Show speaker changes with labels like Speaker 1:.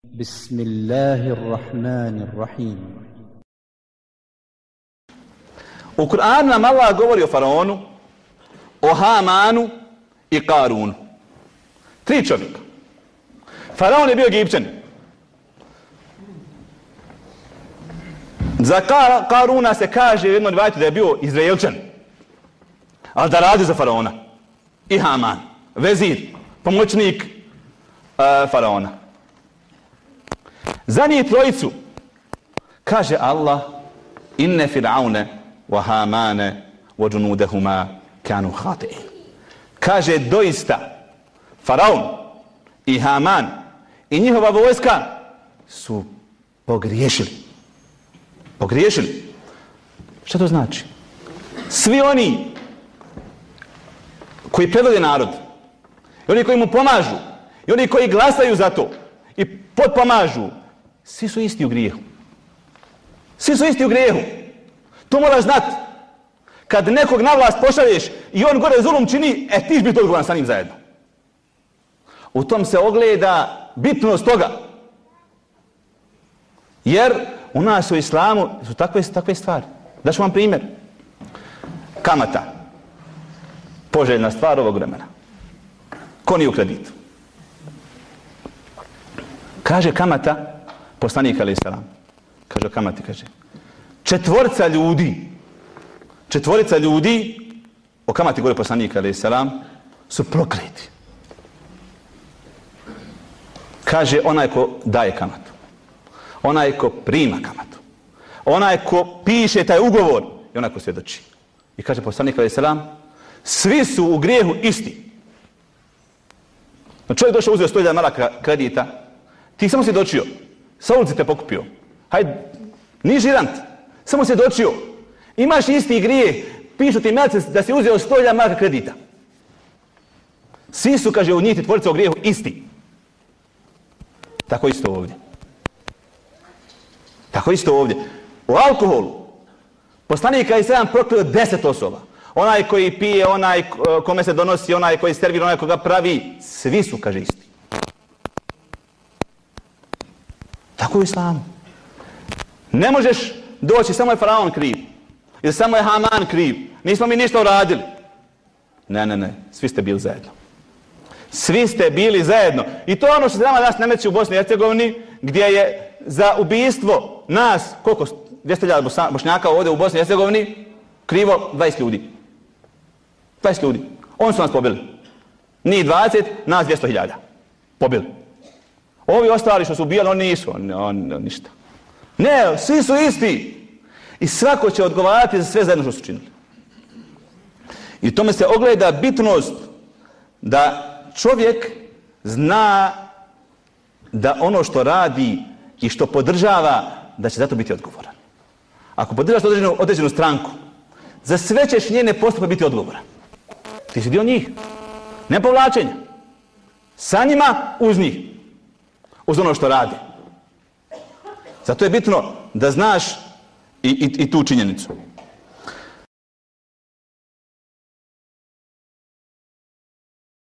Speaker 1: Bismillahirrahmanirrahim.
Speaker 2: U Kur'anu nam Allah govori o Faraonu, o Hamanu i Karunu. 3 čovjeka. Faraon je bio Egipćan. Za Karuna se kaže u jednom rivajetu da je bio Izraelčan, ali da radi za Faraona. I Haman, vezir, pomoćnik Faraona. Za njih trojicu kaže Allah: inne fir'aune wa hamane wa junudahuma kanu khati'in. Kaže doista Faraon i Haman i njihova vojska su pogriješili. Pogriješili. Šta to znači? Svi oni koji predvode narod, i oni koji mu pomažu, i oni koji glasaju za to i potpomažu, svi su isti u grijehu. Svi su isti u grijehu. To moraš znati. Kad nekog na vlast pošalješ i on gore zulum čini, ti ćeš biti odgovoran sa njim zajedno. U tom se ogleda bitnost toga. Jer u nas u islamu su takve stvari. Daću vam primjer. Kamata. Poželjna stvar ovog vremena. Ko nije u kreditu? Kaže kamata, poslanik alejhi selam. Kaže o kamati, kaže: četvorica ljudi, o kamati govori poslanik alejhi selam, su prokleti. Kaže onaj ko daje kamatu, onaj ko prima kamatu, onaj ko piše taj ugovor i onaj ko svjedoči. I kaže poslanik alejhi selam, svi su u grijehu isti. Čovjek došao, uzeo 100.000 maraka kredita, ti samo si dočio, sa ulici te pokupio. Hajde, ni žirant, samo si dočio. Imaš isti grijeh, pišu ti melce da si uzeo 100.000 maraka kredita. Svi su, kaže, u njih ti tvorica u grijehu isti. Tako isto ovdje. Tako isto ovdje. U alkoholu, poslanik alejhi selam prokleo 10 osoba. Onaj koji pije, onaj kome se donosi, onaj koji servira, onaj koga pravi, svi su, kaže, isti. Tako u islamu. Ne možeš doći, samo je Faraon kriv. Ili samo je Haman kriv. Nismo mi ništa uradili. Ne. Svi ste bili zajedno. Svi ste bili zajedno. I to je ono što se nama danas nameće u Bosni i Hercegovini, gdje je za ubijstvo nas, koliko, 200.000 Bošnjaka ovdje u Bosni i Hercegovini, krivo 20 ljudi. 20 ljudi. Oni su nas pobili. Ni 20, nas 200.000. Pobili. Ovi ostali što su ubijali, oni nisu. Ništa. Ne, svi su isti. I svako će odgovarati za sve zajedno što su činili. I tome se ogleda bitnost da čovjek zna da ono što radi i što podržava, da će za to biti odgovoran. Ako podržavaš određenu stranku, za sve ćeš njene postupke biti odgovoran. Ti si dio njih. Ne povlačenja. Sa njima, uz njih. Uz ono što radi. Zato je bitno da znaš i tu činjenicu.